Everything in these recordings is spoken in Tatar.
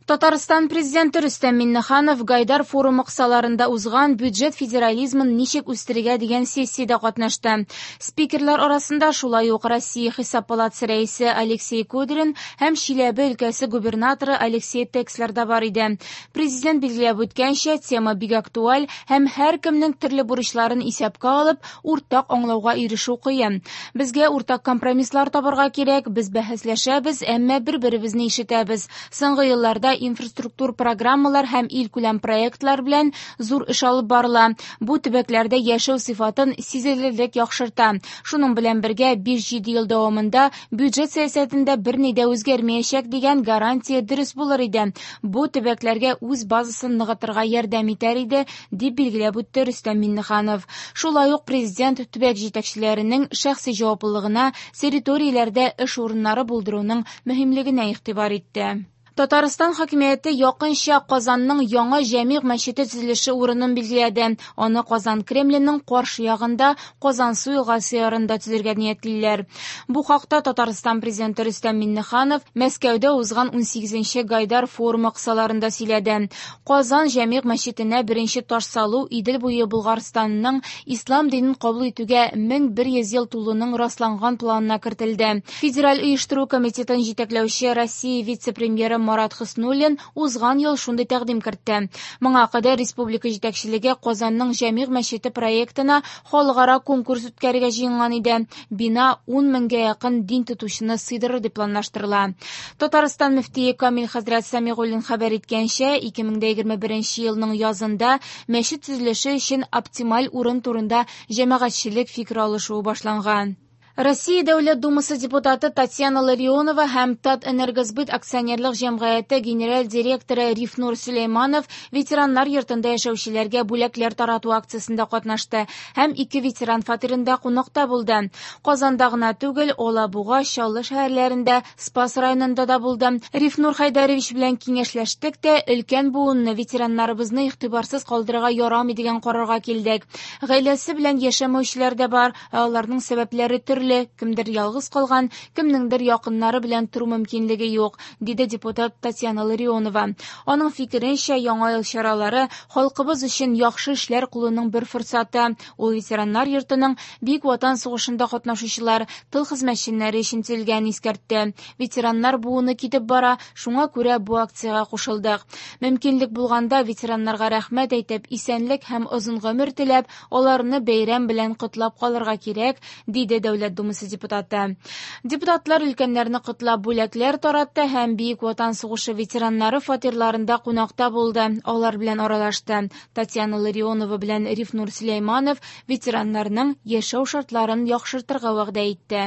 Татарстан Президенты Рөстәм Миңнеханов Гайдар форумы кысаларында узган бюджет федерализмын ничек үстерергә дигән сессиядә катнашты. Спикерлар арасында шулай ук Россия Хисап палатасы рәисе Алексей Кудрин һәм Чиләбе өлкәсе губернаторы Алексей Текслер да бар иде. Президент билгеләп үткәнчә, тема бик актуаль һәм һәркемнең төрле бурычларын исәпкә алып, уртак аңлауга ирешү кыен. Безгә уртак компромисслар табарга кирәк, без бәхәсләшәбез, әмма бер-беребезне ишетәбез. Соңгы елларда инфраструктур программалар һәм илкүләм проектлар белән зур эш алып барыла. Бу төбәкләрдә яшәү сыйфатын сизелерлек яхшырта. Шуның белән бергә 5-7 ел дәвамында бюджет сәясәтендә берни дә үзгәрмәячәк дигән гарантия дөрес булыр иде. Бу төбәкләргә үз базасын ныгытырга ярдәм итәр иде, дип билгеләп үтте Рөстәм Миңнеханов. Шулай ук президент төбәк җитәкчеләренең шәхси җаваплылыгына территорияләрдә эш урыннары булдыруның мөһимлегенә игътибар итте. Татарстан хакимияте якынча Казанның яңа Җәмигъ мәчете төзелеше урынын билгеләде. Аны Казан Кремленең каршы ягында Казансу елгасы ярында төзергә ниятлиләр. Бу хакта Татарстан президенты Рөстәм Миңнеханов Мәскәүдә узган 18нче Гайдар форумы кысаларында сөйләде. Казан Җәмигъ мәчетенә беренче таш салу Идел буе Болгарстанның ислам динен кабул итүгә 1100 ел тулуның расланган планына кертелде. Федераль оештыру комитетын җитәкләүче Россия вице-премьеры Марат Хөснуллин узган ел шундый тәкъдим кертте. Моңа кадәр республика җитәкчелеге Казанның Җәмигъ мәчете проектына халыкара конкурс үткәрергә җыенган иде. Бина 10 меңгә якын дин тотучыны сыйдырыр дип планлаштырыла. Татарстан мөфтие Камил хәзрәт Сәмигуллин хәбәр иткәнчә, 2021 елның язында мәчет төзелеше өчен оптималь урын турында җәмәгатьчелек фикер алышуы башланган. Россия Дәүләт Думасы депутаты Татьяна Ларионова һәм Татэнергосбыт акционерлык җәмгыяте генераль директоры Рифнур Сөләйманов ветераннар йортында яшәүчеләргә бүләкләр тарату акциясендә катнашты һәм ике ветеран фатирында кунакта булды. Казанда гына түгел, Алабуга, Чаллы шәһәрләрендә, Спас районында да булды. Рифнур Хәйдәрович белән киңәшләштек тә, өлкән буынны, ветераннарыбызны игътибарсыз калдырырга ярамый дигән карарга килдек. Гаиләсе белән яшәмәүчеләр дә бар, ә аларның сәбәпләре төрле, кемдер ялгыз калган, кемнеңдер якыннары белән тору мөмкинлеге юк, диде депутат Татьяна Ларионова. Аның фикеренчә, яңа ел чаралары халкыбыз өчен яхшы эшләр кылуның бер форсаты. Ул ветераннар йортының Бөек Ватан сугышында катнашучылар, тыл хезмәтчәннәре өчен төзелгәнен искәртте. Ветераннар буыны китеп бара, шуңа күрә бу акциягә кушылдык. Мөмкинлек булганда ветераннарга рәхмәт әйтеп, исәнлек һәм озын гомер теләп, аларны бәйрәм белән котлап калырга кирәк, диде Дәүләт Думасы депутаты. Депутатлар өлкәннәрне котлап бүләкләр таратты һәм Бөек Ватан сугышы ветераннары фатирларында кунакта булды, алар белән аралашты. Татьяна Ларионова белән Рифнур Сөләйманов ветераннарның яшәү шартларын яхшыртырга вәгъдә итте.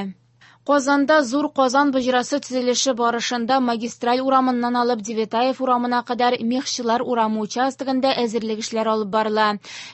Казанда Зур Казан боҗрасы төзелеше барышында магистраль урамыннан алып Девятаев урамына кадәр Мехчылар урамы участогында әзерлек эшләре алып барыла.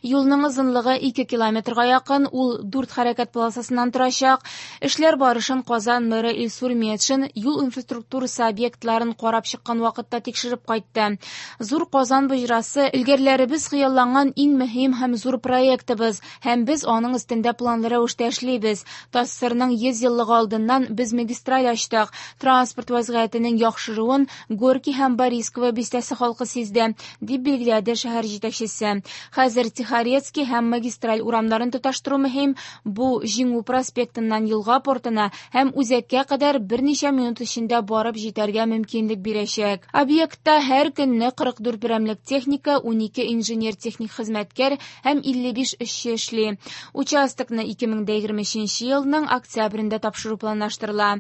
Юлның озынлыгы 2 километрга якын, ул 4 хәрәкәт полосасыннан торачак. Эшләр барышын Казан мэры Илсур Метшин юл инфраструктурасы объектларын карап чыккан вакытта тикшереп кайтты. Зур Казан боҗрасы элгәрләребез хыялланган иң мөһим һәм зур проектыбыз, һәм без аның өстендә планлы рәвештә эшлибез. ТАССРның 100 еллыгы алдыннан без магистраль ачтык. Транспорт вазгыятенең яхшыруын Горький һәм Борисково бистәсе халкы сизде, дип билгеләде шәһәр җитәкчесе. Хәзер Тихорецкий һәм магистраль урамнарын тоташтыру мөһим. Бу Җиңү проспектыннан елга портына һәм үзәккә кадәр берничә минут эчендә барып җитәргә мөмкинлек бирәчәк. Объектта һәр көнне 44 берәмлек техника, 12 инженер-техник хезмәткәр һәм 55 эшче эшли. Участокны 2023 елның октябрендә тапшыру планлаштырыла.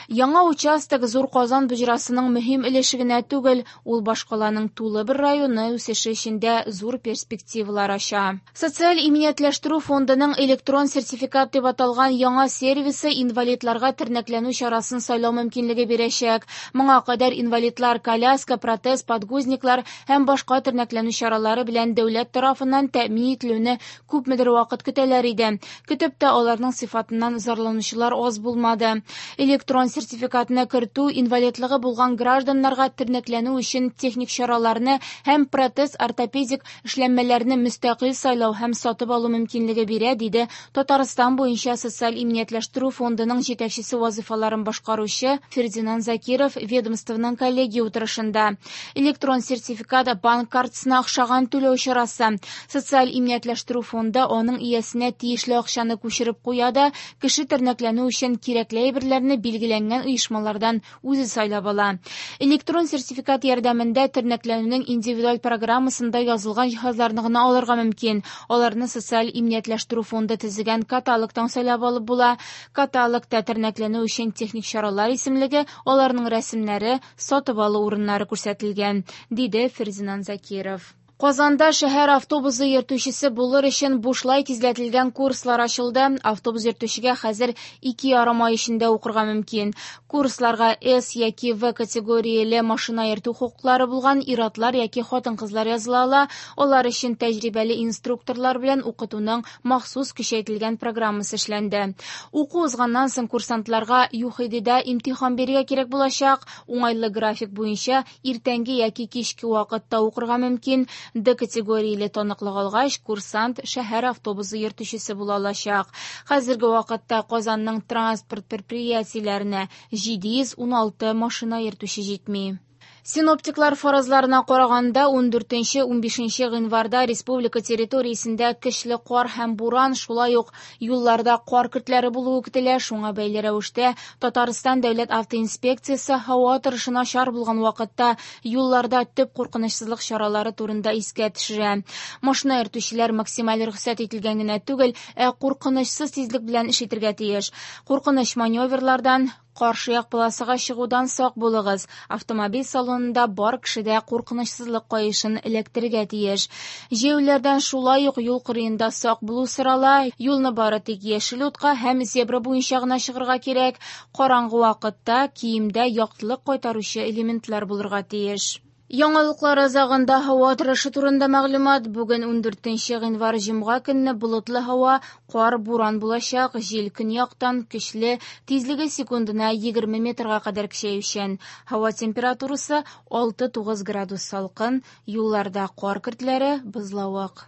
Яңа участок Зур Казан боҗрасының мөһим өлеше генә түгел, ул башкаланың тулы бер районы үсеше эчендә зур перспективалар ача. Социаль иминиятләштерү фондының электрон сертификат дип аталган яңа сервисы инвалидларга тернәкләнү чарасын сайлау мөмкинлеге бирәчәк. Моңа кадәр инвалидлар коляска, протез, подгузниклар һәм башка тернәкләнү чаралары белән дәүләт тарафыннан тәэмин ителүне күпмедер вакыт көтәләр иде. Көтеп тә аларның сыйфатыннан зарланучылар аз булмады. ясады. Электрон сертификатны кертү инвалидлыгы булган гражданнарга тернәкләнү өчен техник чараларны һәм протез-ортопедик эшләнмәләрне мөстәкыйль сайлау һәм сатып алу мөмкинлеге бирә, диде Татарстан буенча социаль иминиятләштерү фондының җитәкчесе вазыйфаларын башкаручы Фердинанд Закиров ведомствоның коллегия утырышында. Электрон сертификат банк картасына охшаган түләү чарасы. Социаль иминиятләштерү фонды аның иясенә тиешле акчаны күчереп куя да, кеше тернәкләнү өчен кирәкле әйберләрне билгеләнгән оешмалардан үзе сайлап ала. Электрон сертификат ярдәмендә тернәкләнүнең индивидуаль программасында язылган җиһазларны гына алырга мөмкин. Аларны социаль иминиятләштерү фонды төзегән каталогтан сайлап алып була. Каталогта тернәкләнү өчен техник чаралар исемлеге, аларның рәсемнәре, сатып алу урыннары күрсәтелгән, диде Фердинанд Закиров. Казанда шәһәр автобусы йөртүчесе булыр өчен бушлай тизләтелгән курслар ачылды. Автобус йөртүчегә хәзер 2,5 ай эчендә укырга мөмкин. Курсларга С яки В категорияле машина йөртү хокуклары булган ир-атлар яки хатын-кызлар языла ала. Алар өчен тәҗрибәле инструкторлар белән укытуның махсус көчәйтелгән программасы эшләнде. Уку узганнан соң курсантларга ЮХИДида имтихан бирергә кирәк булачак. Уңайлы график буенча иртәнге яки кичке вакытта укырга мөмкин. Д категорияле таныклык алгач, курсант шәһәр автобусы йөртүчесе була алачак. Хәзерге вакытта Казанның транспорт предприятиеләренә 716 машина йөртүче җитми. Синоптиклар фаразларына караганда, 14-15 гыйнварда республика территориясендә көчле кар һәм буран, шулай ук юлларда кар көртләре булуы көтелә. Шуңа бәйле рәвештә Татарстан дәүләт автоинспекциясе һава торышы начар булган вакытта юлларда төп куркынычсызлык чаралары турында искә төшерә. Машина йөртүчеләр максималь рөхсәт ителгән генә түгел, ә куркынычсыз тизлек белән эш итәргә тиеш. Куркыныч маневрлардан, каршы як полосага чыгудан сак булыгыз. Автомобиль салонында бар кеше дә куркынычсызлык каешын эләктерергә тиеш. Җәяүлеләрдән шулай ук юл кырыенда сак булу сорала. Юлны бары тик яшел утка һәм зебра буенча гына чыгарга кирәк. Караңгы вакытта киемдә яктылык кайтаручы элементлар булырга тиеш. Яңалыклар азагында һава торышы турында мәгълүмат. Бүген 14 гыйнвар җомга көнне болытлы һава, кар, буран булачак, җил көньяктан көчле, тизлеге секундына 20 метрга кадәр көчәючән. Һава температурасы 6-9 градус салкын, юлларда кар көртләре, бозлавык.